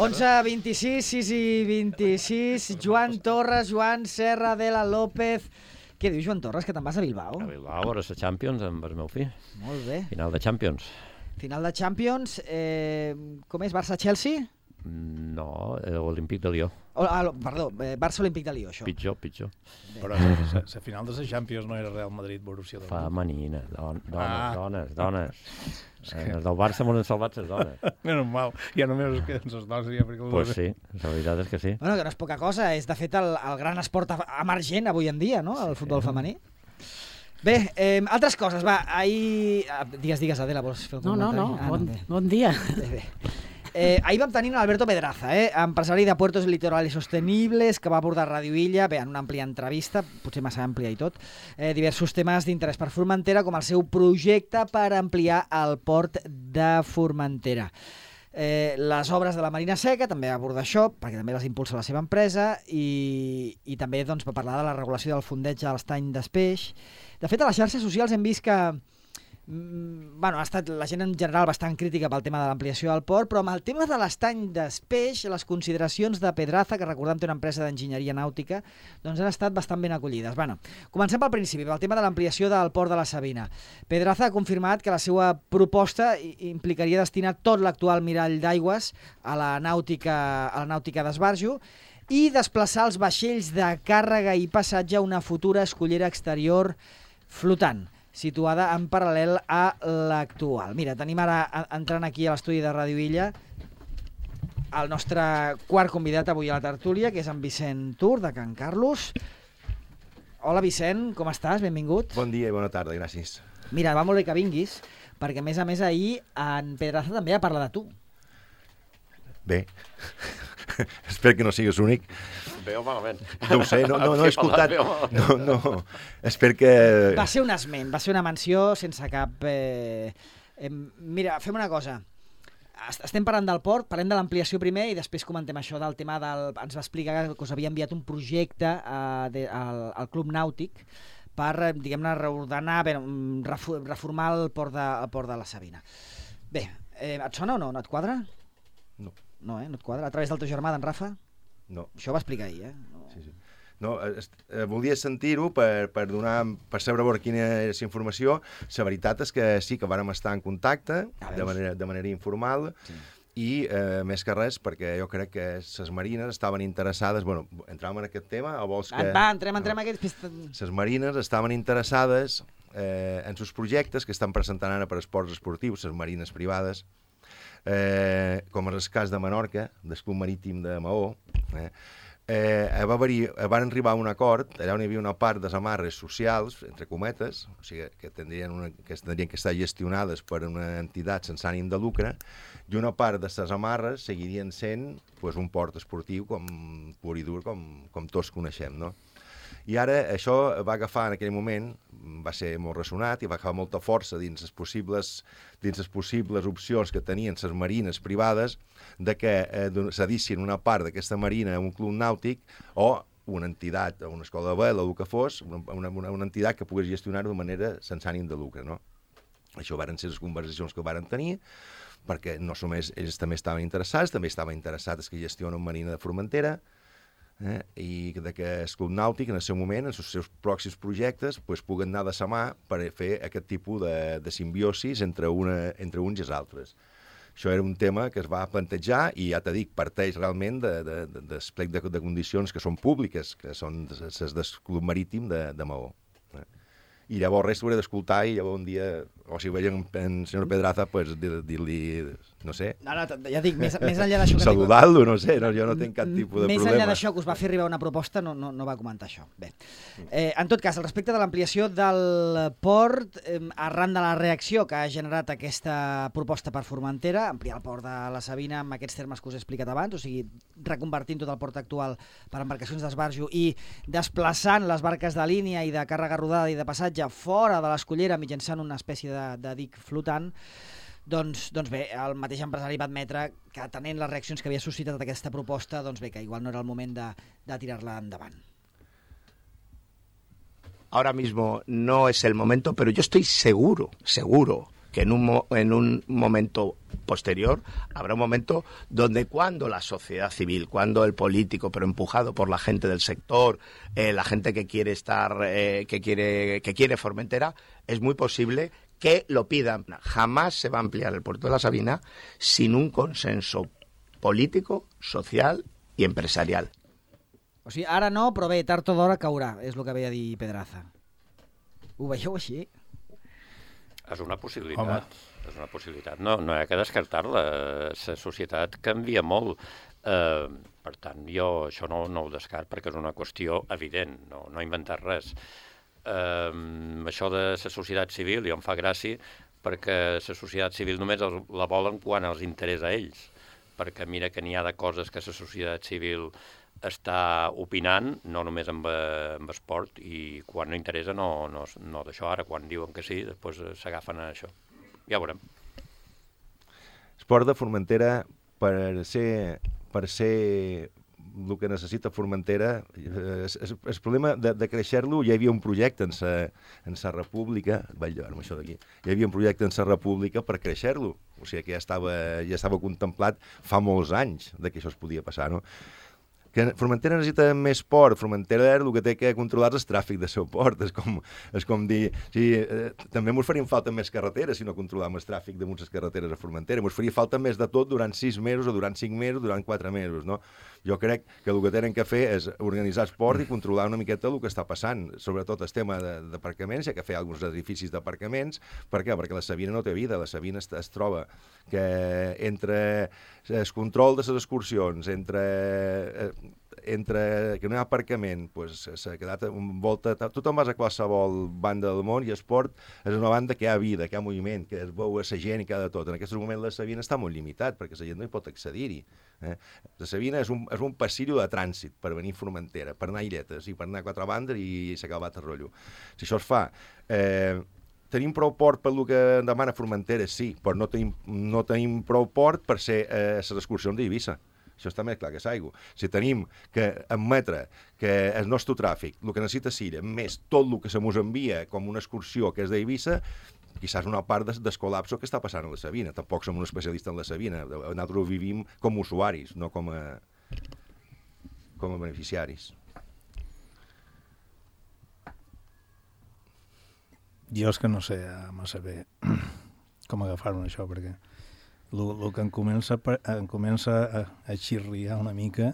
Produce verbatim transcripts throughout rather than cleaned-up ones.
onze, vint-i-sis, sis i vint-i-sis, Joan Torres, Joan Serra, Adela López... Què dius, Joan Torres, que te'n vas a Bilbao? A Bilbao, a veure la Champions amb el meu fill. Molt bé. Final de Champions. Final de Champions. Eh, com és, Barça-Chelsea? No, l'Olímpic de Lió. Oh, ah, perdó, eh, Barça-Olímpic de Lió, això. Pitjor, pitjor. Bé. Però la final de la Champions no era Real Madrid-Borussia Dortmund. Femenina, don, dones, ah. dones, dones. Eh, els del Barça m'ho han salvat les dones. Menys mal, ja només que les dones seria perquè... Doncs pues sí, la veritat és que sí. Bueno, que no és poca cosa, és de fet el, el gran esport emergent avui en dia, no?, el sí, futbol femení. Bé, eh, altres coses, va, ahir... Digues, digues, Adela, vols fer un no, comentari? No, no, ah, bon, no bon dia. Bé, bé. Eh, ahir vam tenir Alberto Pedraza, eh, empresari de Puertos Litorales Sostenibles, que va abordar Ràdio Illa, bé, en una àmplia entrevista, potser massa àmplia i tot, eh, diversos temes d'interès per Formentera, com el seu projecte per ampliar el port de Formentera. Eh, les obres de la Marina Seca també aborda això, perquè també les impulsa la seva empresa, i, i també doncs, va parlar de la regulació del fondeig a l'estany d'Espeix. De fet, a les xarxes socials hem vist que bueno, ha estat la gent en general bastant crítica pel tema de l'ampliació del port, però amb el tema de l'estany d'Espeix, les consideracions de Pedraza, que recordem té una empresa d'enginyeria nàutica, doncs han estat bastant ben acollides. Bueno, comencem pel principi, pel tema de l'ampliació del port de la Sabina. Pedraza ha confirmat que la seva proposta implicaria destinar tot l'actual mirall d'aigües a la nàutica, a la nàutica d'esbarjo i desplaçar els vaixells de càrrega i passatge a una futura escollera exterior flotant, situada en paral·lel a l'actual. Mira, tenim ara, entrant aquí a l'estudi de Ràdio Illa, el nostre quart convidat avui a la tertúlia, que és en Vicent Tur, de Can Carlos. Hola, Vicent, com estàs? Benvingut. Bon dia i bona tarda, gràcies. Mira, va molt bé que vinguis, perquè a més a més ahir en Pedraza també ha parlat de tu. Bé, espero que no sigues únic. Bé o malament? No ho sé, no, no, no he escoltat. No, no, espero que... Va ser un esment, va ser una menció sense cap... Eh... Eh, mira, fem una cosa. Estem parlant del port, parlem de l'ampliació primer i després comentem això del tema del... Ens va explicar que us havia enviat un projecte eh, de, al, al Club Nàutic per, diguem-ne, reordenar, bé, reformar el port de, el port de la Sabina. Bé, eh, et sona o no? No et quadra? No. No, eh? No et quadra? A través del teu germà, d'en Rafa? No. Això ho va explicar ahir, eh? No, sí, sí. No, eh, volia sentir-ho per, per donar, per saber veure quina és la informació. La veritat és que sí, que vàrem estar en contacte de manera, de manera informal, sí. I eh, més que res perquè jo crec que les marines estaven interessades... Bueno, entràvem en aquest tema o vols que... Va, entrem, entrem no. en aquest... Les marines estaven interessades eh, en els projectes que estan presentant ara per esports esportius, les marines privades, Eh, com és el cas de Menorca, del Club Marítim de Maó, eh, eh, va haver-hi, van arribar a un acord, allà on hi havia una part de les amarres socials, entre cometes, o sigui, que tindrien, una, que tindrien que estar gestionades per una entitat sense ànim de lucre, i una part de les amarres seguirien sent pues, un port esportiu com pur i dur, com, com tots coneixem, no? I ara això va agafar en aquell moment, va ser molt ressonat i va agafar molta força dins les possibles, dins les possibles opcions que tenien les marines privades de que eh, cedissin una part d'aquesta marina a un club nàutic o una entitat, una escola de vela o el que fos, una, una, una entitat que pogués gestionar-ho de manera sense ànim de lucre, no? Això varen ser les conversacions que varen tenir, perquè no només ells també estaven interessats, també estaven interessats que gestionen Marina de Formentera, Eh, i de que el Club Nàutic en el seu moment, en els seus pròxims projectes, pues, puguen anar de sa mà per fer aquest tipus de, de simbiosis entre, una, entre uns i els altres. Això era un tema que es va plantejar i ja t'he dit, parteix realment de, de, de, d'esplec de, de condicions que són públiques, que són les del Club Marítim de, de Maó. Eh. I llavors res s'haurà d'escoltar i llavors un dia, o si veiem en senyor Pedraza, pues, dir-li, no sé, no, no, ja dic, més, més enllà d'això... saludar-lo, no sé, no, jo no tinc cap tipus de més problema. Més enllà d'això que us va fer arribar una proposta, no, no, no va comentar això. Bé, eh, en tot cas, al respecte de l'ampliació del port, eh, arran de la reacció que ha generat aquesta proposta per Formentera, ampliar el port de la Sabina amb aquests termes que us he explicat abans, o sigui, reconvertint tot el port actual per embarcacions d'esbarjo i desplaçant les barques de línia i de càrrega rodada i de passatge fora de l'escollera mitjançant una espècie de, de dic flotant, Doncs, doncs bé, el mateix empresari va admetre que atenent les reaccions que havia suscitat aquesta proposta, doncs bé, que igual no era el moment de, de tirar-la endavant. Ahora mismo no es el momento, pero yo estoy seguro, seguro, que en un, mo en un momento posterior habrá un momento donde cuando la sociedad civil, cuando el político, pero empujado por la gente del sector, eh, la gente que quiere estar, eh, que quiere, que quiere Formentera, es muy posible que lo pidan. Jamás se va a ampliar el puerto de la Sabina sin un consenso político, social i empresarial. O sigui, ara no, però bé, tard o d'hora caurà, és el que veia dir Pedraza. Ho veieu així? És una possibilitat. Home. És una possibilitat. No, no hi ha que descartar-la. La societat canvia molt. Eh, per tant, jo això no, no ho descart perquè és una qüestió evident, no, no he inventat res. Eh, això de la societat civil ja em fa gràcia perquè la societat civil només la volen quan els interessa a ells, perquè mira que n'hi ha de coses que la societat civil està opinant, no només amb, amb esport, i quan no interessa no, no, no d'això. Ara, quan diuen que sí, després s'agafen a això. Ja ho veurem. Esport de Formentera, per ser, per ser el que necessita Formentera, el, el problema de, de créixer-lo, hi havia un projecte en sa, en sa república, vaig llevar-me això d'aquí, hi havia un projecte en sa república per créixer-lo, o sigui que ja estava, ja estava contemplat fa molts anys de que això es podia passar, no? Que Formentera necessita més port. Formentera el que té que controlar és el tràfic del seu port. És com, és com dir... Sí, eh, també ens farien falta més carreteres si no controlàvem el tràfic de moltes carreteres a Formentera. Ens faria falta més de tot durant sis mesos o durant cinc mesos, durant quatre mesos, no? Jo crec que el que tenen que fer és organitzar el port i controlar una miqueta el que està passant, sobretot el tema d'aparcaments. Hi ha que fer alguns edificis d'aparcaments. Per què? Perquè la Sabina no té vida. La Sabina es, es troba que entre el control de les excursions, entre... Eh, entre que no hi ha aparcament, pues, s'ha quedat envolta... Tothom vas a qualsevol banda del món i esport és una banda que hi ha vida, que hi ha moviment, que es veu a la gent i que ha de tot. En aquest moment la Sabina està molt limitat perquè la gent no hi pot accedir-hi. Eh? La Sabina és un, és un passillo de trànsit per venir a Formentera, per anar a Illetes i per anar a quatre bandes i s'ha acabat el rotllo. Si això es fa... Eh, tenim prou port per el que demana Formentera, sí, però no tenim, no tenim prou port per ser eh, les excursions d'Eivissa. Això està més clar que s'aigua. Si tenim que admetre que el nostre tràfic, el que necessita Silla, més tot el que se mos envia com una excursió que és d'Eivissa, quizás una part del de col·lapso que està passant a la Sabina. Tampoc som un especialista en la Sabina. Nosaltres vivim com a usuaris, no com a, com a beneficiaris. Jo és que no sé massa bé com agafar-me això, perquè el que em comença, em comença a, a xirriar una mica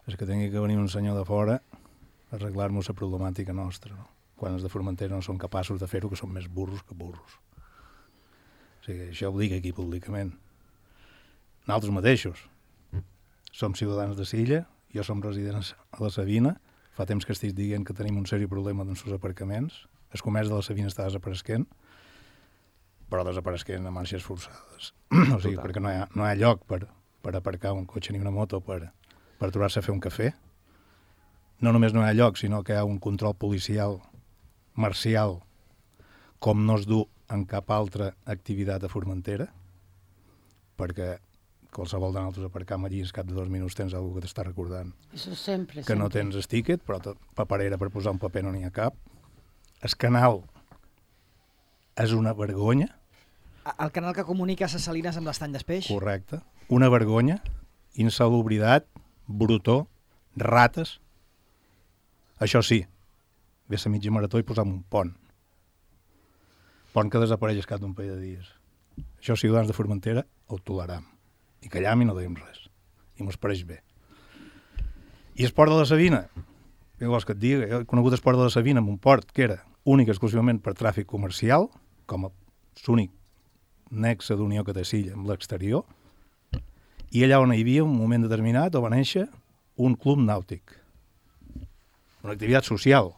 és que tingui que venir un senyor de fora a arreglar-nos la problemàtica nostra, no? Quan els de Formentera no són capaços de fer-ho, que són més burros que burros. O sigui, això ho dic aquí públicament. Nosaltres mateixos som ciutadans de Silla, jo som residents a la Sabina, fa temps que estic dient que tenim un seri problema amb els aparcaments, el comerç de la Sabina està desapareixent, però desapareixent a marxes forçades. O sigui, perquè no hi ha, no hi ha lloc per, per aparcar un cotxe ni una moto per, per aturar-se a fer un cafè. No només no hi ha lloc, sinó que hi ha un control policial marcial com no es du en cap altra activitat a Formentera, perquè qualsevol de nosaltres aparcam allí, al cap de dos minuts tens alguna que t'està recordant. Això sempre, que sempre. No tens el tiquet, però tot, paperera per posar un paper no n'hi ha cap. El canal és una vergonya. El canal que comunica les Salines amb l'estany d'Espeix? Correcte. Una vergonya, insalubritat, brutó, rates. Això sí, ve a mitja marató i posam un pont. Pont que desapareix al cap d'un parell de dies. Això, ciutadans de Formentera, ho toleram. I callam i no dèiem res. I mos pareix bé. I el port de la Sabina? Què vols que et digui? Jo he conegut el port de la Sabina amb un port que era únic exclusivament per tràfic comercial, com a l'únic nexe d'unió que té Silla amb l'exterior, i allà on hi havia un moment determinat on va néixer un club nàutic. Una activitat social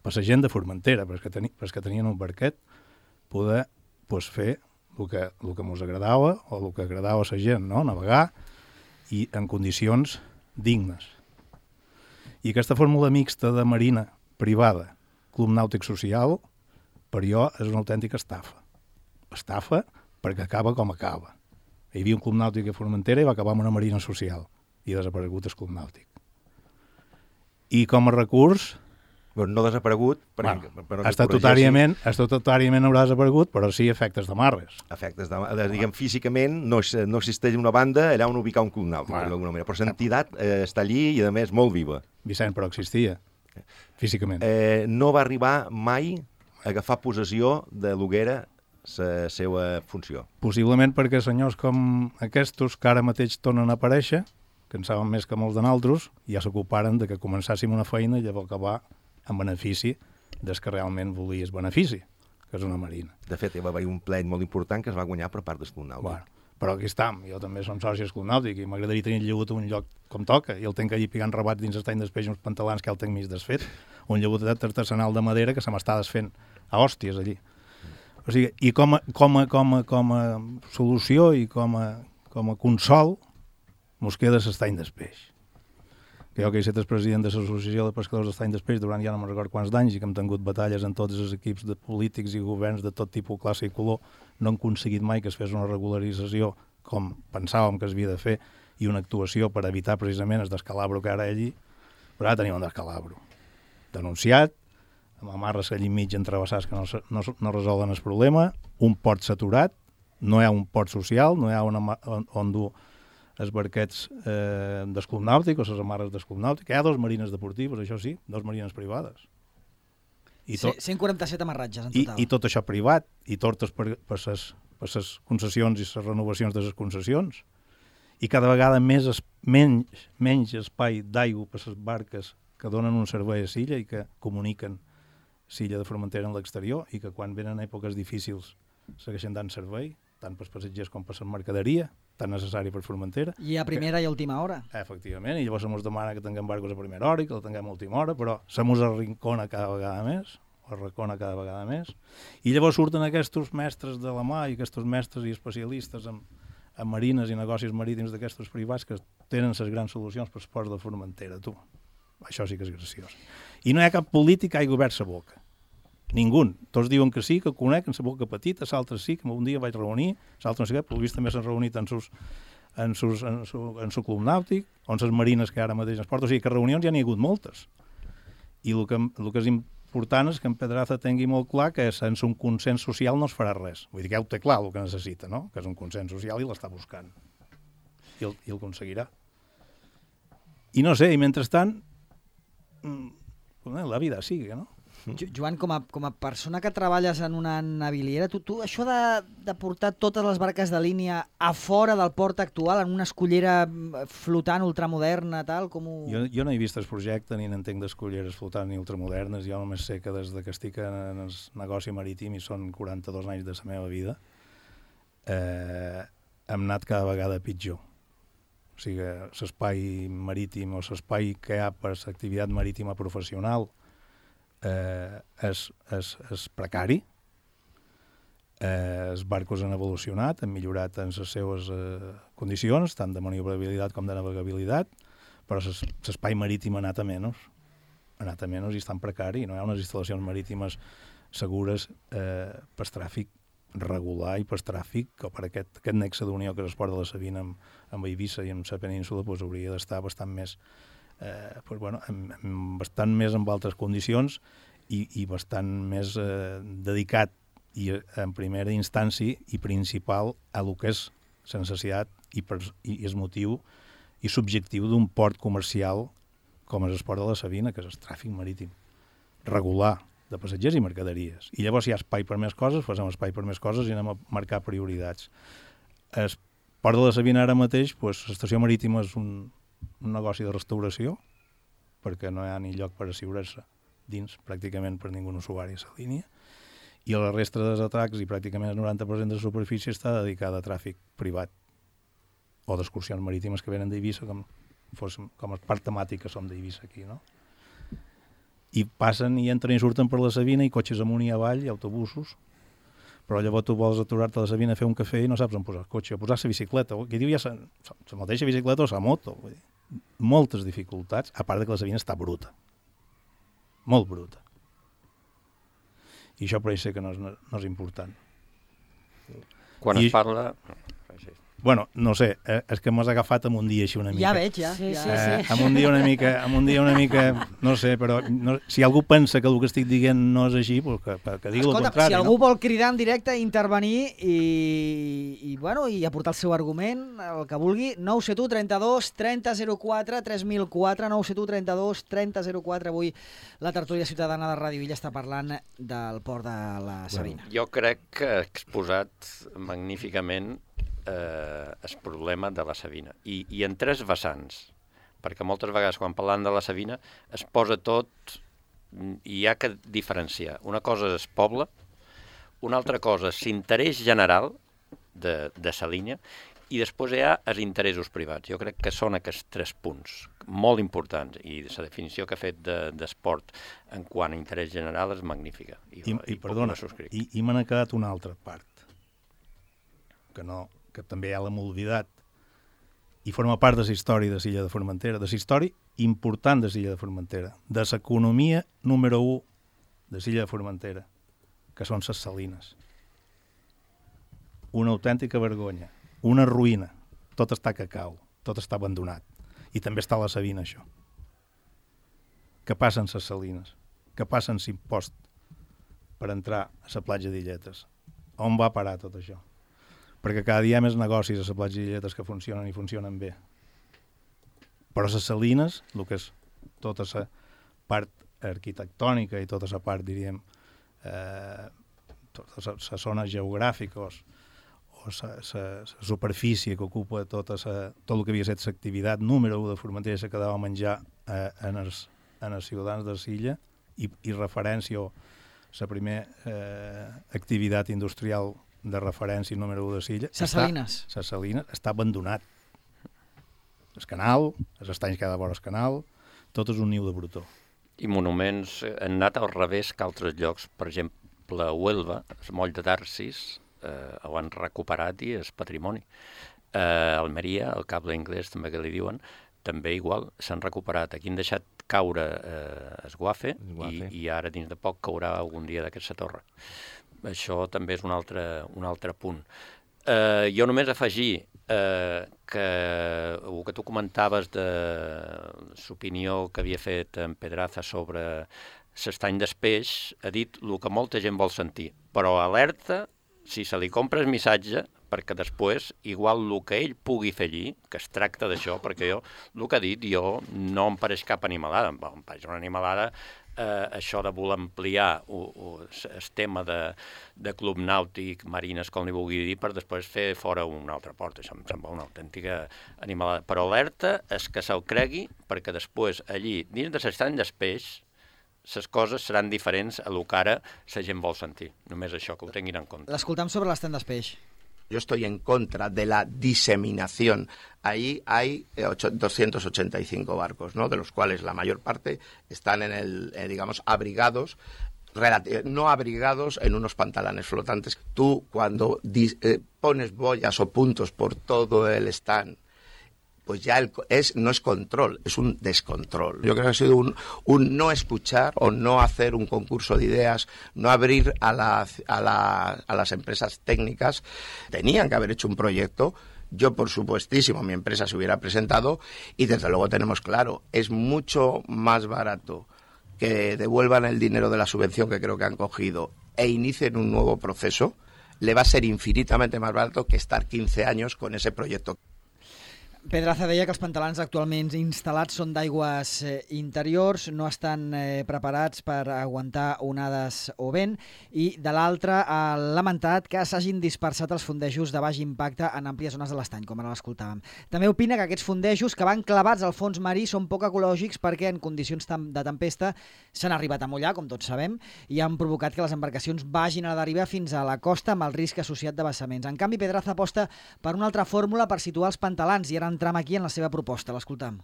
per la gent de Formentera, perquè, teni, perquè tenien un barquet, poder pues, fer el que, el que ens agradava o el que agradava a la gent, no? Navegar i en condicions dignes. I aquesta fórmula mixta de marina privada, club nàutic social, per jo és una autèntica estafa. Estafa perquè acaba com acaba. Hi havia un club nàutic a Formentera i va acabar amb una marina social i ha desaparegut el club nàutic. I com a recurs No desaparegut, perquè, bueno, però estatutàriament, estatutàriament haurà desaparegut, però sí efectes de marres. Efectes de, de diguem, físicament no, no existeix una banda allà on ubicar un club nàutic, bueno, d'alguna manera, però l'entitat eh, està allí i, a més, molt viva. Vicent, però existia, físicament. Eh, no va arribar mai a agafar possessió de l'Hoguera la seva funció. Possiblement perquè senyors com aquests, que ara mateix tornen a aparèixer, que en saben més que molts de nosaltres, ja s'ocuparen de que començàssim una feina i llavors acabar en benefici des que realment volies benefici, que és una marina. De fet, hi va haver un plet molt important que es va guanyar per part del Club Nàutic. Bueno, però aquí estam, jo també som soci del Club Nàutic i m'agradaria tenir llegut un lloc com toca, i el tenc allí picant rabats dins l'estany d'espeix uns pantalans que el tenc mig desfet, un llegutet artesanal de madera que se m'està desfent a hòsties allí. O sigui, i com a, com a, com a, com a solució i com a, com a consol mos queda l'estany d'espeix. Que jo que he estat el president de l'Associació de Pescadors d'Estany d'Espeix durant ja no me'n record quants d'anys i que hem tingut batalles en tots els equips de polítics i governs de tot tipus, classe i color, no hem aconseguit mai que es fes una regularització com pensàvem que es havia de fer i una actuació per evitar precisament el descalabro que ara allí, però ara tenim un descalabro. Denunciat, amb amarres allí mig entrevessats que no, no, no resolen el problema, un port saturat, no hi ha un port social, no hi ha una, on, on dur els barquets eh, del Club Nàutic o les amarres del Club Nàutic. Hi ha dos marines deportives, això sí, dos marines privades. I tot, cent quaranta-set amarratges en total. I, i tot això privat, i tortes per, per, ses, per ses concessions i les renovacions de les concessions. I cada vegada més es, menys, menys espai d'aigua per les barques que donen un servei a Silla i que comuniquen Silla de Formentera en l'exterior i que quan venen èpoques difícils segueixen dant servei, tant pels passatgers com per la mercaderia, tan necessari per Formentera. I a primera que, i a última hora. Efectivament, i llavors se mos demana que tinguem barcos a primera hora i que la tinguem a última hora, però se mos arrincona cada vegada més, o arracona cada vegada més, i llavors surten aquests mestres de la mà i aquests mestres i especialistes en, en marines i negocis marítims d'aquests privats que tenen les grans solucions per als ports de Formentera, tu. Això sí que és graciós. I no hi ha cap polític que hagi obert la boca. Ningú. Tots diuen que sí, que coneixen la boca petita, l'altre sí, que un dia vaig reunir, l'altre no sé què, però el vist també s'han reunit en sus, en sus, en su, en su club nàutic, on les marines que ara mateix es porten. O sigui, que reunions ja n'hi ha hagut moltes. I el que, el que és important és que en Pedraza tingui molt clar que sense un consens social no es farà res. Vull dir que ja ho té clar el que necessita, no? Que és un consens social i l'està buscant. I el, i el aconseguirà. I no sé, i mentrestant, la vida sigue, no? Joan, com a, com a persona que treballes en una naviliera, tu, tu això de, de portar totes les barques de línia a fora del port actual, en una escollera flotant ultramoderna, tal, com ho... Jo, jo no he vist el projecte ni n'entenc d'escolleres flotant ni ultramodernes, jo només sé que des que estic en el negoci marítim i són quaranta-dos anys de la meva vida, eh, hem anat cada vegada pitjor. O sigui, l'espai marítim o l'espai que hi ha per l'activitat marítima professional Eh, és, és, és precari, eh, els barcos han evolucionat, han millorat en les seves eh, condicions, tant de maniobrabilitat com de navegabilitat, però l'espai marítim ha anat a menys, ha anat a menys i està en precari, no hi ha unes instal·lacions marítimes segures eh, per tràfic regular i per tràfic, o per aquest, aquest nexe d'unió que és el port de la Sabina amb, amb Eivissa i amb la península, doncs hauria d'estar bastant més Eh, pues bueno, amb, amb bastant més amb altres condicions i, i bastant més eh, dedicat i en primera instància i principal a lo que és la necessitat i, per, i és motiu i subjectiu d'un port comercial com és el port de la Sabina, que és el tràfic marítim regular de passatgers i mercaderies. I llavors si hi ha espai per més coses, posem espai per més coses i anem a marcar prioritats. El port de la Sabina ara mateix, pues, l'estació marítima és un un negoci de restauració, perquè no hi ha ni lloc per assegurar-se dins pràcticament per ningú usuari a la línia, i la resta dels atracs i pràcticament el noranta per cent de la superfície està dedicada a tràfic privat o d'excursions marítimes que venen d'Eivissa, com, fos, com a part temàtica som d'Eivissa aquí, no? I passen i entren i surten per la Sabina i cotxes amunt i avall i autobusos, però llavors tu vols aturar-te a la Sabina a fer un cafè i no saps on posar el cotxe, a posar la bicicleta, qui diu ja la mateixa bicicleta o la moto, vull dir, moltes dificultats, a part de que la Sabina està bruta, molt bruta. I això per això sé que no és, no és important. Quan I, es parla... Bueno, no sé, eh, és que m'has agafat amb un dia així una mica. Ja veig, ja. Sí, ja. sí, Eh, sí. amb un dia una mica, amb un dia una mica, no sé, però no, si algú pensa que el que estic dient no és així, pues que, que digui el Escolta, contrari. si algú no? vol cridar en directe, intervenir i, i, bueno, i aportar el seu argument, el que vulgui, nou set u trenta-dos trenta zero quatre tres mil quatre, nou set u trenta-dos trenta zero quatre. Avui la tertúlia ciutadana de Ràdio Illa està parlant del port de la Sabina. Jo crec que ha exposat magníficament eh, el problema de la Sabina. I, I en tres vessants, perquè moltes vegades quan parlant de la Sabina es posa tot i hi ha que diferenciar. Una cosa és poble, una altra cosa és l'interès general de, de sa línia i després hi ha els interessos privats. Jo crec que són aquests tres punts molt importants i la definició que ha fet de, d'esport en quant a interès general és magnífica. I, I, i perdona, i, i me n'ha quedat una altra part, que, no, que també ja l'hem oblidat, i forma part de la història de l'illa de Formentera, de la història important de l'illa de Formentera, de l'economia número u de l'illa de Formentera, que són les salines. Una autèntica vergonya, una ruïna, tot està a cacau, tot està abandonat. I també està a la Sabina, això. Què passa amb les salines? Què passa amb l'impost per entrar a la platja d'Illetes? On va parar tot això? Perquè cada dia hi ha més negocis a la platja d'Illetes que funcionen i funcionen bé. Però les salines, el que és tota la part arquitectònica i tota la part, diríem, eh, totes les zones geogràfiques o la superfície que ocupa tota sa, tot el que havia estat l'activitat número u de Formentera se quedava a menjar eh, en, els, en els ciutadans de l'illa i, i referència o la primera eh, activitat industrial de referència número u de l'illa. Ses salines. Les salines està abandonat. El canal, els estanys que hi ha de vora el canal, tot és un niu de brutó. I monuments han anat al revés que altres llocs. Per exemple, a Huelva, el moll de Tarsis, eh, ho han recuperat i és patrimoni. Eh, Almeria, el cable anglès també que li diuen, també igual, s'han recuperat. Aquí han deixat caure eh, es guafe, guafe. I, i ara dins de poc caurà algun dia d'aquesta torre. Això també és un altre, un altre punt. Eh, jo només afegir eh, que el que tu comentaves de l'opinió que havia fet en Pedraza sobre l'estany d'espeix, ha dit el que molta gent vol sentir, però alerta si se li compra el missatge, perquè després, igual el que ell pugui fer allí, que es tracta d'això, perquè jo, el que ha dit, jo no em pareix cap animalada, em pareix una animalada, eh, això de voler ampliar el tema de, de club nàutic, marines, com li vulgui dir, per després fer fora una altra porta. Això em sembla una autèntica animalada. Però alerta és que se'l cregui, perquè després allí, dins de l'estany d'espeix, les coses seran diferents a lo que ara la gent vol sentir. Només això, que ho tinguin en compte. L'escoltam sobre l'estany d'espeix. Yo estoy en contra de la diseminación. Ahí hay doscientos ochenta y cinco barcos, ¿no? De los cuales la mayor parte están en el, eh, digamos, abrigados, no abrigados en unos pantalanes flotantes. Tú, cuando eh, pones boyas o puntos por todo el stand, pues ya el, es, no es control, es un descontrol. Yo creo que ha sido un, un no escuchar o no hacer un concurso de ideas, no abrir a, la, a, la, a las empresas técnicas. Tenían que haber hecho un proyecto. Yo, por supuestísimo, mi empresa se hubiera presentado y desde luego tenemos claro, es mucho más barato que devuelvan el dinero de la subvención que creo que han cogido e inicien un nuevo proceso. Le va a ser infinitamente más barato que estar quince años con ese proyecto. Pedraza deia que els pantalans actualment instal·lats són d'aigües eh, interiors, no estan eh, preparats per aguantar onades o vent, i de l'altra ha lamentat que s'hagin dispersat els fondejos de baix impacte en àmplies zones de l'estany, com ara l'escoltàvem. També opina que aquests fondejos que van clavats al fons marí són poc ecològics perquè en condicions de tempesta s'han arribat a mullar, com tots sabem, i han provocat que les embarcacions vagin a la deriva fins a la costa amb el risc associat de vessaments. En canvi, Pedraza aposta per una altra fórmula per situar els pantalans i ara entram aquí en la seva proposta, l'escoltam.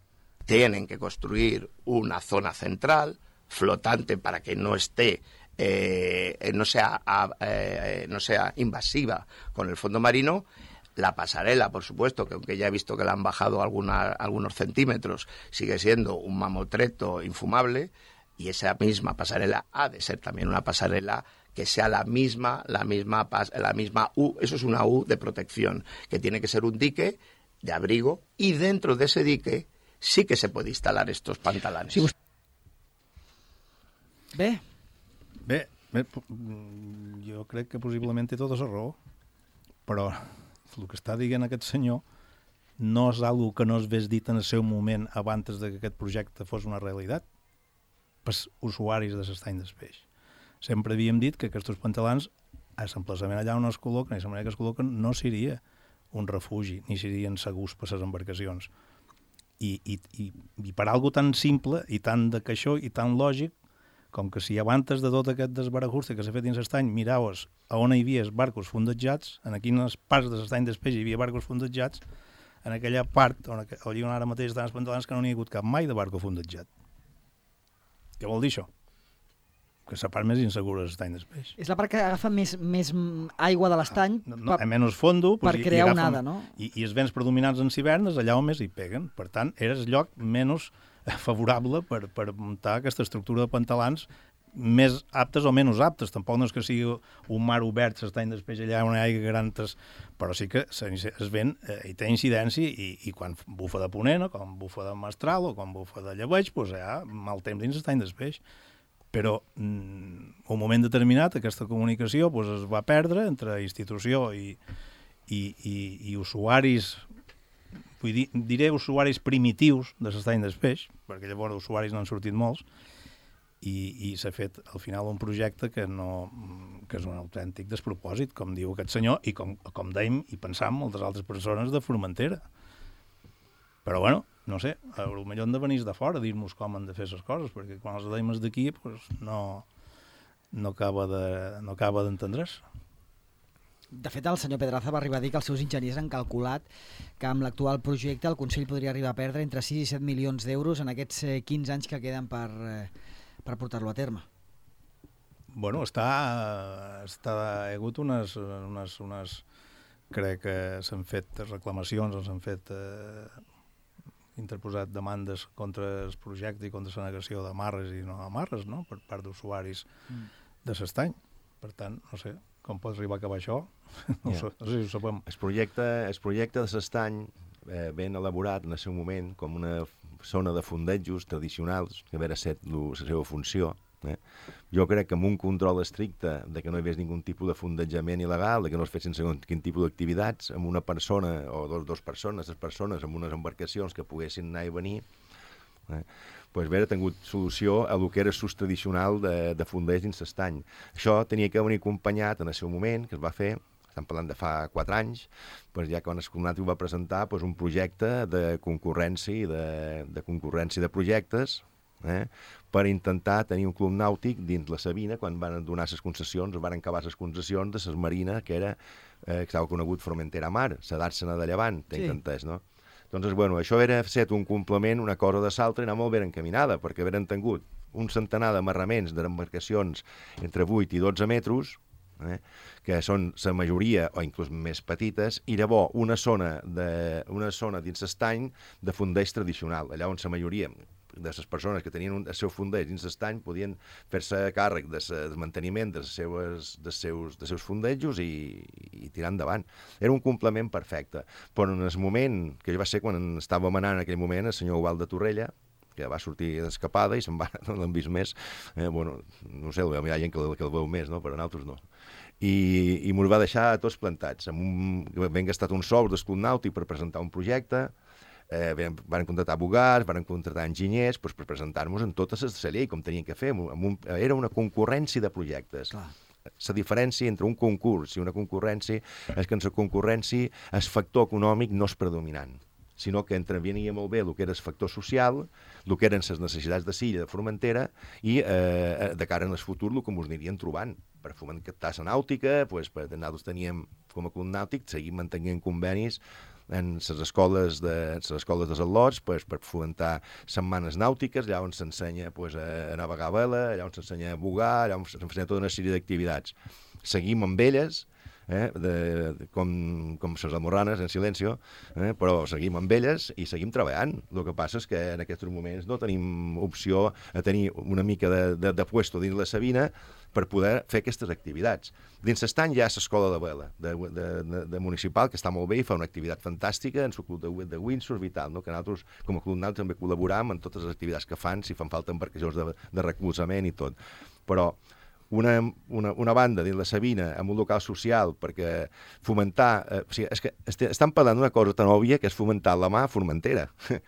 Tienen que construir una zona central flotante para que no esté, eh, no sea, eh, no sea invasiva con el fondo marino. La pasarela, por supuesto, que aunque ya he visto que la han bajado alguna, algunos centímetros, sigue siendo un mamotreto infumable. Y esa misma pasarela ha de ser también una pasarela que sea la misma, la misma, la misma U, eso es una U de protección, que tiene que ser un dique de abrigo, y dentro de ese dique sí que se puede instalar estos pantalanes. Sí, Bé. Bé, bé, jo crec que possiblement té tota la raó, però el que està dient aquest senyor no és algo que no es ves dit en el seu moment abans de que aquest projecte fos una realitat pels usuaris de l'estany del peix. Sempre havíem dit que aquests pantalans, a l'emplaçament allà on es col·loquen, i la manera que es col·loquen, no seria un refugi, ni serien segurs per les embarcacions. I, i, i, i per algo tan simple i tan de caixó i tan lògic com que si abans de tot aquest desbarajuste que s'ha fet dins l'estany miraves a on hi havia barcos fondejats, en quines parts de l'estany del peix hi havia barcos fondejats, en aquella part on, on ara mateix estan els pantalans que no n'hi ha hagut cap mai de barco fondejat. Què vol dir això? Que és la part més insegura de l'estany del peix. És la part que agafa més, més aigua de l'estany no, no, a menys fondo, per pues, crear i agafen, onada, no? I, i els vents predominants en hivernes allà on més hi peguen. Per tant, era el lloc menys favorable per, per muntar aquesta estructura de pantalans més aptes o menys aptes. Tampoc no és que sigui un mar obert, l'estany del peix allà on hi ha garantes, però sí que es vent eh, i té incidència i, i quan bufa de ponent, o quan bufa de mestral o quan bufa de llebeig, pues, hi ha mal temps dins l'estany del peix. Però mm, un moment determinat aquesta comunicació pues, es va perdre entre institució i, i, i, i usuaris, vull dir, diré usuaris primitius de l'estany del peix, perquè llavors usuaris n'han sortit molts, i, i s'ha fet al final un projecte que, no, que és un autèntic despropòsit, com diu aquest senyor, i com, com dèiem i pensam moltes altres persones de Formentera. Però bueno, no sé, potser han de venir de fora a dir-nos com han de fer les coses, perquè quan els deim d'aquí pues, no, no acaba de, no acaba d'entendre's. De fet, el senyor Pedraza va arribar a dir que els seus enginyers han calculat que amb l'actual projecte el Consell podria arribar a perdre entre sis i set milions d'euros en aquests quinze anys que queden per, per portar-lo a terme. Bueno, està, està, hi ha hagut unes, unes, unes crec que s'han fet reclamacions, s'han fet eh, interposat demandes contra el projecte i contra la negació d'amarres i no amarres, no?, per part d'usuaris mm. de l'estany. Per tant, no sé, com pot arribar a acabar això? No, yeah. sé, no sé si ho sabem. El projecte, el projecte de l'estany eh, ben elaborat en el seu moment com una zona de fondejos tradicionals, que havia set la seva funció. Eh? Jo crec que amb un control estricte de que no hi hagués ningun tipus de fondejament il·legal, de que no es fessin segons quin tipus d'activitats, amb una persona o dos, dos persones, tres persones, amb unes embarcacions que poguessin anar i venir, eh? pues haver tingut solució a lo que era l'ús tradicional de, de fonders dins l'estany. Això tenia que venir acompanyat en el seu moment, que es va fer, estem parlant de fa quatre anys, pues ja quan el Colnati va presentar pues, un projecte de concurrència, de, de concurrència de projectes, eh, per intentar tenir un club nàutic dins la Sabina, quan van donar les concessions, van acabar les concessions de les marina, que era, eh, que estava conegut Formentera Mar, la d'Àrsena de Llevant, t'he sí. entès, no? Doncs, bueno, això era set un complement, una cosa de l'altra, i anar molt ben encaminada, perquè haveren tingut un centenar d'amarraments d'embarcacions entre vuit i dotze metres, eh, que són la majoria, o inclús més petites, i llavors una zona, de, una zona dins l'estany de fondeig tradicional, allà on la majoria de les persones que tenien un, el seu fondeig dins l'estany podien fer-se càrrec de del manteniment dels seus, dels seus, dels seus fondejos i, i tirar endavant. Era un complement perfecte. Però en el moment, que va ser quan estava manant en aquell moment el senyor Ubal de Torrella, que va sortir d'escapada i se'n va, no l'han vist més, eh, bueno, no sé, hi ha gent que, que el veu més, no? Però nosaltres no. I, i mos va deixar tots plantats. Amb un, ben gastat un sou d'escut nàutic per presentar un projecte, Eh, van contractar abogats, van contractar enginyers pues, per presentar-nos en totes les de la llei, com tenien que fer. Amb un, era una concurrència de projectes. Clar. La diferència entre un concurs i una concurrència és que en la concurrència el factor econòmic no és predominant, sinó que intervenia molt bé el que era el factor social, el que eren les necessitats de Silla, de Formentera, i eh, de cara en el futur el que ens anirien trobant. Per fomentar la nàutica, pues, per nosaltres teníem com a club nàutic, seguim mantenint convenis en les escoles de les escoles dels al·lots pues, per fomentar setmanes nàutiques, allà on s'ensenya pues, a navegar a vela, allà on s'ensenya a bugar, allà on s'ensenya tota una sèrie d'activitats. Seguim amb elles, eh, de, de, com, com les almorranes, en silenci, eh, però seguim amb elles i seguim treballant. El que passa és que en aquests moments no tenim opció a tenir una mica de, de, de puesto dins la Sabina per poder fer aquestes activitats. Dins l'estany hi ha l'escola de vela, de, de, de, de municipal, que està molt bé i fa una activitat fantàstica en el club de, de windsurf i tal, no? Que nosaltres, com a club nàutic, també col·laboram en totes les activitats que fan, si fan falta embarcacions de, de recolzament i tot. Però una, una, una banda dins la Sabina amb un local social perquè fomentar... Eh, o sigui, és que est estan parlant d'una cosa tan òbvia que és fomentar la mà a Formentera,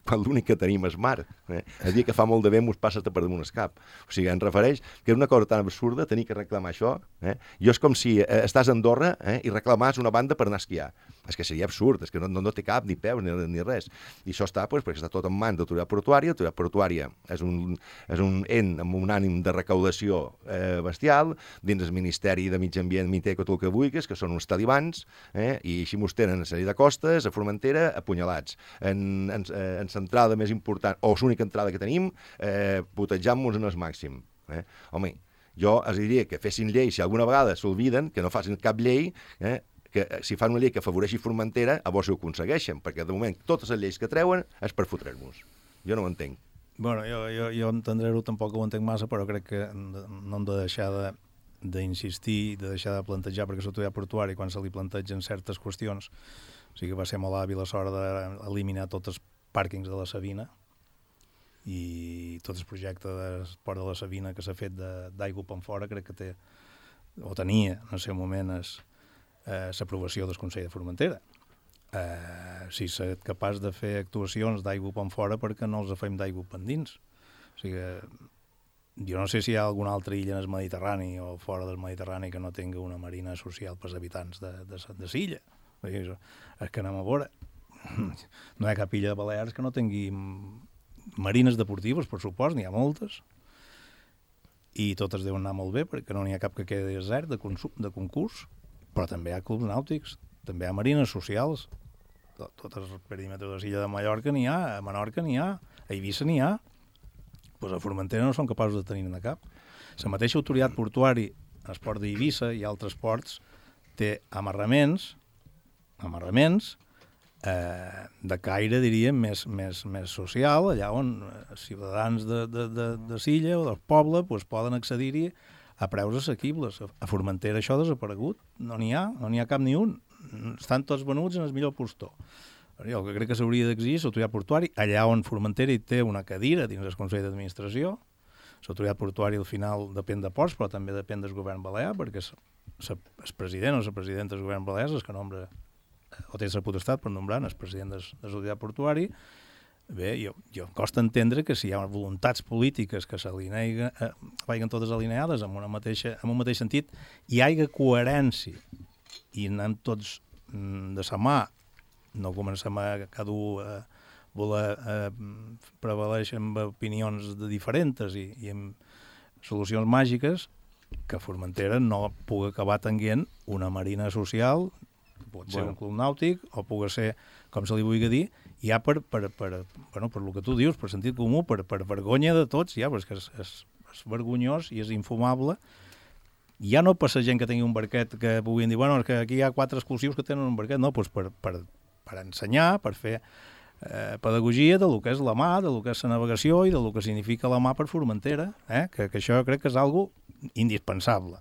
quan l'únic que tenim és mar. Eh? El dia que fa molt de vent mos passa per damunt el cap. O sigui, em refereix que és una cosa tan absurda tenir que reclamar això. Eh? Jo és com si eh, estàs a Andorra eh, i reclamas una banda per anar a esquiar. És que seria absurd, és que no, no, no té cap, ni peus, ni, ni res. I això està, pues, perquè està tot en mans de l'autoritat portuària. L'autoritat portuària és un, és un ent amb un ànim de recaudació eh, bestial, dins el Ministeri de Mig Ambient, Miteco, tot el que vulguis, que són uns talibans, eh, i així mos tenen a sèrie de costes, a Formentera, apunyalats. En, en, en l'entrada més important, o l'única entrada que tenim, eh, putejant-nos en el màxim. Eh? Home, jo els diria que fessin llei, si alguna vegada s'olviden, que no facin cap llei, eh, que si fan una llei que afavoreixi Formentera, a vos ho aconsegueixen, perquè de moment totes les lleis que treuen és per fotrer-nos. Jo no ho entenc. Bueno, jo, jo, jo entendre-ho tampoc ho entenc massa, però crec que no hem de deixar de d'insistir, de deixar de plantejar, perquè l'autoritat portuària, quan se li plantegen certes qüestions, o sigui que va ser molt hàbil a l'hora d'eliminar tots els pàrquings de la Sabina i tot el projecte d'esport de la Sabina que s'ha fet d'aigua per fora, crec que té, o tenia en el seu moment és l'aprovació del Consell de Formentera. Eh, si s'és capaç de fer actuacions d'aigua per fora, perquè no els fem d'aigua per dins. O sigui, jo no sé si hi ha alguna altra illa en el Mediterrani o fora del Mediterrani que no tingui una marina social pels habitants de, de, de l'illa. És que anem a veure. No hi ha cap illa de Balears que no tingui marines deportives, per supost, n'hi ha moltes. I totes deuen anar molt bé, perquè no n'hi ha cap que quedi desert de, de concurs. Però també hi ha clubs nàutics, també hi ha marines socials. Tots els perímetres de l'illa de Mallorca n'hi ha, a Menorca n'hi ha, a Eivissa n'hi ha. Pues a Formentera no són capaços de tenir-ne cap. La mateixa autoritat portuària, el port d'Eivissa i altres ports, té amarraments, amarraments eh, de caire, diríem, més, més, més social, allà on els ciutadans de, de, de, de l'illa o del poble pues, poden accedir-hi a preus assequibles. A Formentera això ha desaparegut. No n'hi ha, no n'hi ha cap ni un. Estan tots venuts en el millor postor. Jo el que crec que s'hauria d'exigir és l'autoritat portuària, allà on Formentera hi té una cadira dins el Consell d'Administració. L'autoritat portuària al final depèn de ports, però també depèn del govern balear, perquè el president o la presidenta del govern balear és que nombra, o té la potestat per nombrar el president de l'autoritat portuària. Bé, jo, jo em costa entendre que si hi ha voluntats polítiques que s'alineguen, eh, vagin totes alineades amb, una mateixa, amb un mateix sentit, hi hagi coherència i anem tots mm, de sa mà, no comencem a cada un a voler eh, prevaleixer amb opinions de diferents i, i amb solucions màgiques, que Formentera no pugui acabar tenint una marina social, pot ser bueno. Un club nàutic, o pugui ser, com se li vulgui dir, ja per, per, per, bueno, per el que tu dius, per sentit comú, per, per vergonya de tots, ja, perquè és, és, és vergonyós i és infumable. Ja no per la gent que tingui un barquet que puguin dir, bueno, és que aquí hi ha quatre exclusius que tenen un barquet, no, doncs per, per, per ensenyar, per fer eh, pedagogia de lo que és la mà, de lo que és la navegació i de lo que significa la mà per Formentera, eh? que, que això crec que és algo indispensable.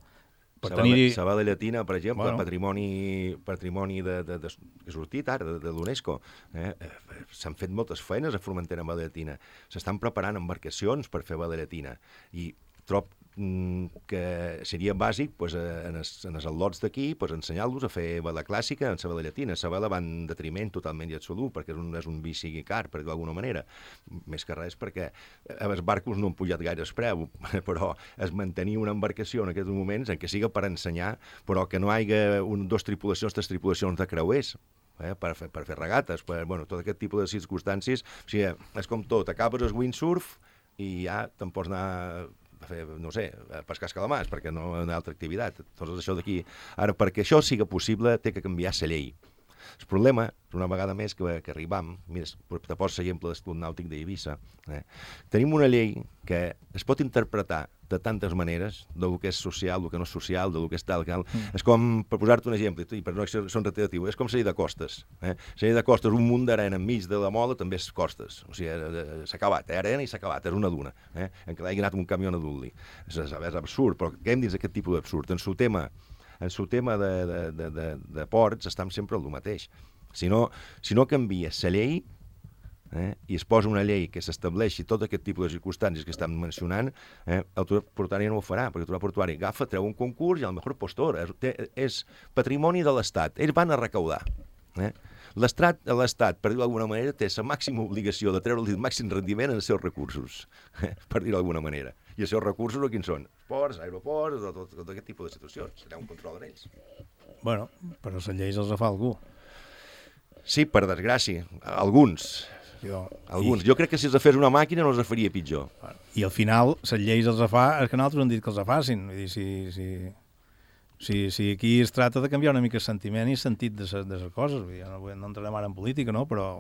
Per tenir... La Vela Llatina, per exemple, bueno. patrimoni, patrimoni de, de, de, que ha sortit ara, de, de l'UNESCO. Eh? S'han fet moltes feines a Formentera amb Vela Llatina. S'estan preparant embarcacions per fer Vela Llatina. I trob que seria bàsic pues, en, els, en els al·lots d'aquí pues, ensenyar-los a fer vela clàssica en la vela llatina. La vela va en detriment totalment i absolut, perquè és un, és un vici car, per d'alguna manera. Més que res perquè els barcos no han pujat gaire el preu, però es mantenir una embarcació en aquests moments en què siga per ensenyar, però que no hi hagi un, dos tripulacions, tres tripulacions de creuers, eh, per, fer, per fer regates, per, bueno, tot aquest tipus de circumstàncies. O sigui, és com tot, acabes el windsurf i ja te'n pots anar a fer, no sé, a pescar escalamars, perquè no hi ha una altra activitat. Tot això d'aquí. Ara, perquè això sigui possible, té que canviar la llei. El problema, una vegada més que, que arribam, mira, te poso l'exemple del Club Nàutic d'Eivissa, eh? Tenim una llei que es pot interpretar de tantes maneres, del que és social, del que no és social, del que és tal, cal. Mm. És com, per posar-te un exemple, i per no ser reiteratiu, és com salir de costes. Eh? Salir de costes, un munt d'arena enmig de la mola, també és costes. O sigui, s'ha acabat, eh? Arena i s'ha acabat, és una duna. Eh? En què l'hagi anat amb un camió a dur-li. És, és absurd, però quedem dins d'aquest tipus d'absurd. En el tema, en el tema de, de, de, de, de ports estem sempre al mateix. Si no, si no canvia la llei, Eh, i es posa una llei que s'estableixi tot aquest tipus de circumstàncies que estem mencionant, eh, l'autoritat portuària no ho farà, perquè l'autoritat portuària agafa, treu un concurs i al millor postor. És, és patrimoni de l'Estat. Ells van a recaudar. Eh? L'Estat, l'Estat, per dir-ho d'alguna manera, té la màxima obligació de treure el màxim rendiment en els seus recursos, eh? per dir-ho d'alguna manera. I els seus recursos, quins són? Ports, aeroports, tot, tot, tot aquest tipus de situacions. Serà un control d'ells. Bueno, però les lleis els fa algú. Sí, per desgràcia. Alguns. Jo, Alguns. I... Jo crec que si els fes una màquina no els faria pitjor. I al final, les lleis els fa, és que nosaltres han dit que els facin. Vull dir, si, si, si, si aquí es tracta de canviar una mica el sentiment i el sentit de les coses. Vull dir, no, no entrarem ara en política, no? Però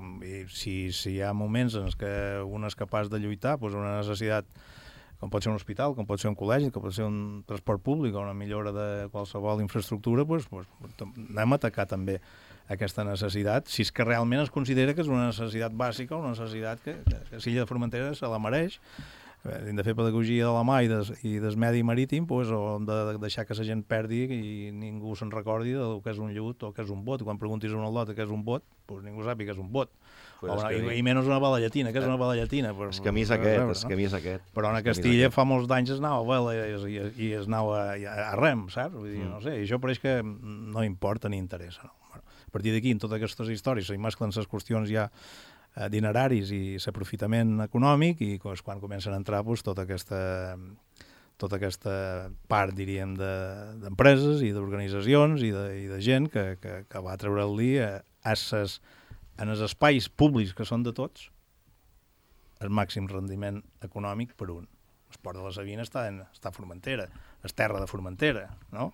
si, si hi ha moments en què un és capaç de lluitar, doncs una necessitat, com pot ser un hospital, com pot ser un col·legi, com pot ser un transport públic o una millora de qualsevol infraestructura, doncs, doncs anem a atacar també aquesta necessitat, si és que realment es considera que és una necessitat bàsica, una necessitat que, que, que Silla de Formentera se la mereix, hem de fer pedagogia de la mà i des, i des medi marítim, pues, o hem de deixar que la gent perdi i ningú se'n recordi del que és un llut o que és un bot. Quan preguntis a un al·lot què és un bot, pues ningú sàpiga que és un bot. Pues o, i, I menys una bala llatina, que és una bala llatina. El camí és aquest, el camí és aquest. Però a Castilla fa molts d'anys es anava a vela i, i, i es anava a, a rem, saps? Vull dir, no sé, i això pareix que no importa ni interessa, no? A partir d'aquí, en totes aquestes històries, s'hi mesclen les qüestions ja eh, dineraris i l'aprofitament econòmic i doncs, quan comencen a entrar doncs, tota, aquesta, tota aquesta part, diríem, d'empreses de, i d'organitzacions i, de, i de gent que, que, que va treure-li a, a ses, en els espais públics que són de tots el màxim rendiment econòmic per un. El port de la Sabina està, en, està a Formentera, és terra de Formentera, no?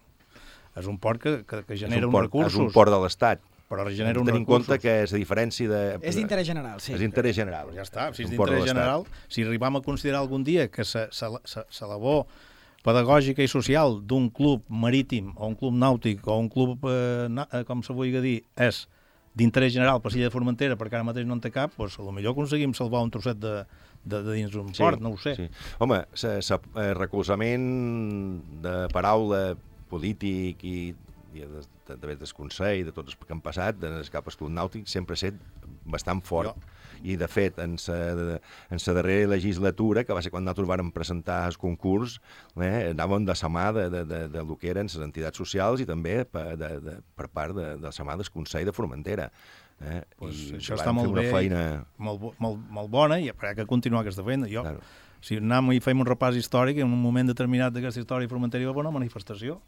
És un port que, que, que genera un uns port, recursos. És un port de l'Estat. Però genera uns recursos. Tenim en compte que és a diferència de... És d'interès general, sí. És d'interès general. Ja està, si és d'interès general, si arribam a considerar algun dia que la labor pedagògica i social d'un club marítim o un club nàutic o un club, eh, com se vulgui dir, és d'interès general per Silla de Formentera, perquè ara mateix no en té cap, doncs potser aconseguim salvar un trosset de, de, de dins d'un sí, port, no ho sé. Sí. Home, el recolzament de paraula polític i, i de, de, de, del Consell, de tots els que han passat, en el cap escut nàutic, sempre ha estat bastant fort. Jo. I, de fet, en la darrera legislatura, que va ser quan nosaltres vàrem presentar el concurs, eh, anàvem de la mà de, de, de, de lo que eren les entitats socials i també per, de, de, per part de, de la mà del Consell de Formentera. Eh? Pues I això està molt bé, feina... molt, molt, molt bona, i ha que continuar aquesta feina. Jo, claro. Si anem i fem un repàs històric, en un moment determinat d'aquesta història Formentera hi va haver una manifestació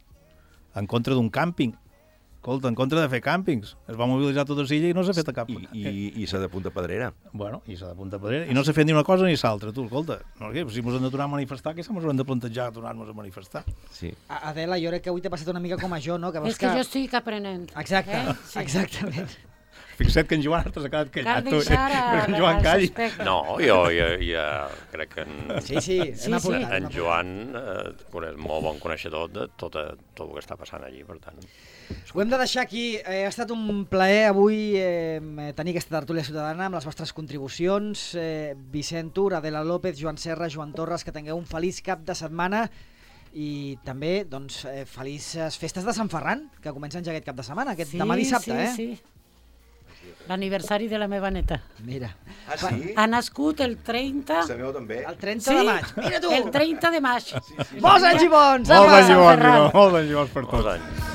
en contra d'un càmping. Escolta, en contra de fer càmpings. Es va mobilitzar tota Silla i no s'ha fet a cap. I, i, i s'ha de Punta Pedrera. Bueno, i s'ha de Punta Pedrera. I no s'ha fet ni una cosa ni l'altra, tu, escolta. No, què? Si ens hem de tornar a manifestar, què s'hem de plantejar tornar-nos a manifestar? Sí. Adela, jo crec que avui t'ha passat una mica com a jo, no? Que és que, que jo estic aprenent. Exacte, eh? Sí. Exactament. Fixa't que en Joan t'ha quedat callat. Cal deixar a, en Joan calli. No, jo ja, ja crec que en, sí, sí, sí, sí. en Joan eh, és molt bon coneixedor de tot, tot el que està passant allí, per tant. Ho hem de deixar aquí. Eh, ha estat un plaer avui eh, tenir aquesta tertúlia ciutadana amb les vostres contribucions. Eh, Vicent Tur, Adela López, Joan Serra, Joan Torres, que tingueu un feliç cap de setmana i també doncs, eh, felices festes de Sant Ferran, que comencen ja aquest cap de setmana, aquest sí, demà dissabte. Sí, eh? sí. L'aniversari de la meva neta. Mira. Ah, sí? Ha nascut el trenta... La meva també. El trenta sí? de maig. Mira tu! El trenta de maig. Sí, sí. Molts anys i bons! Molts anys i bons, molts anys i bons per tots.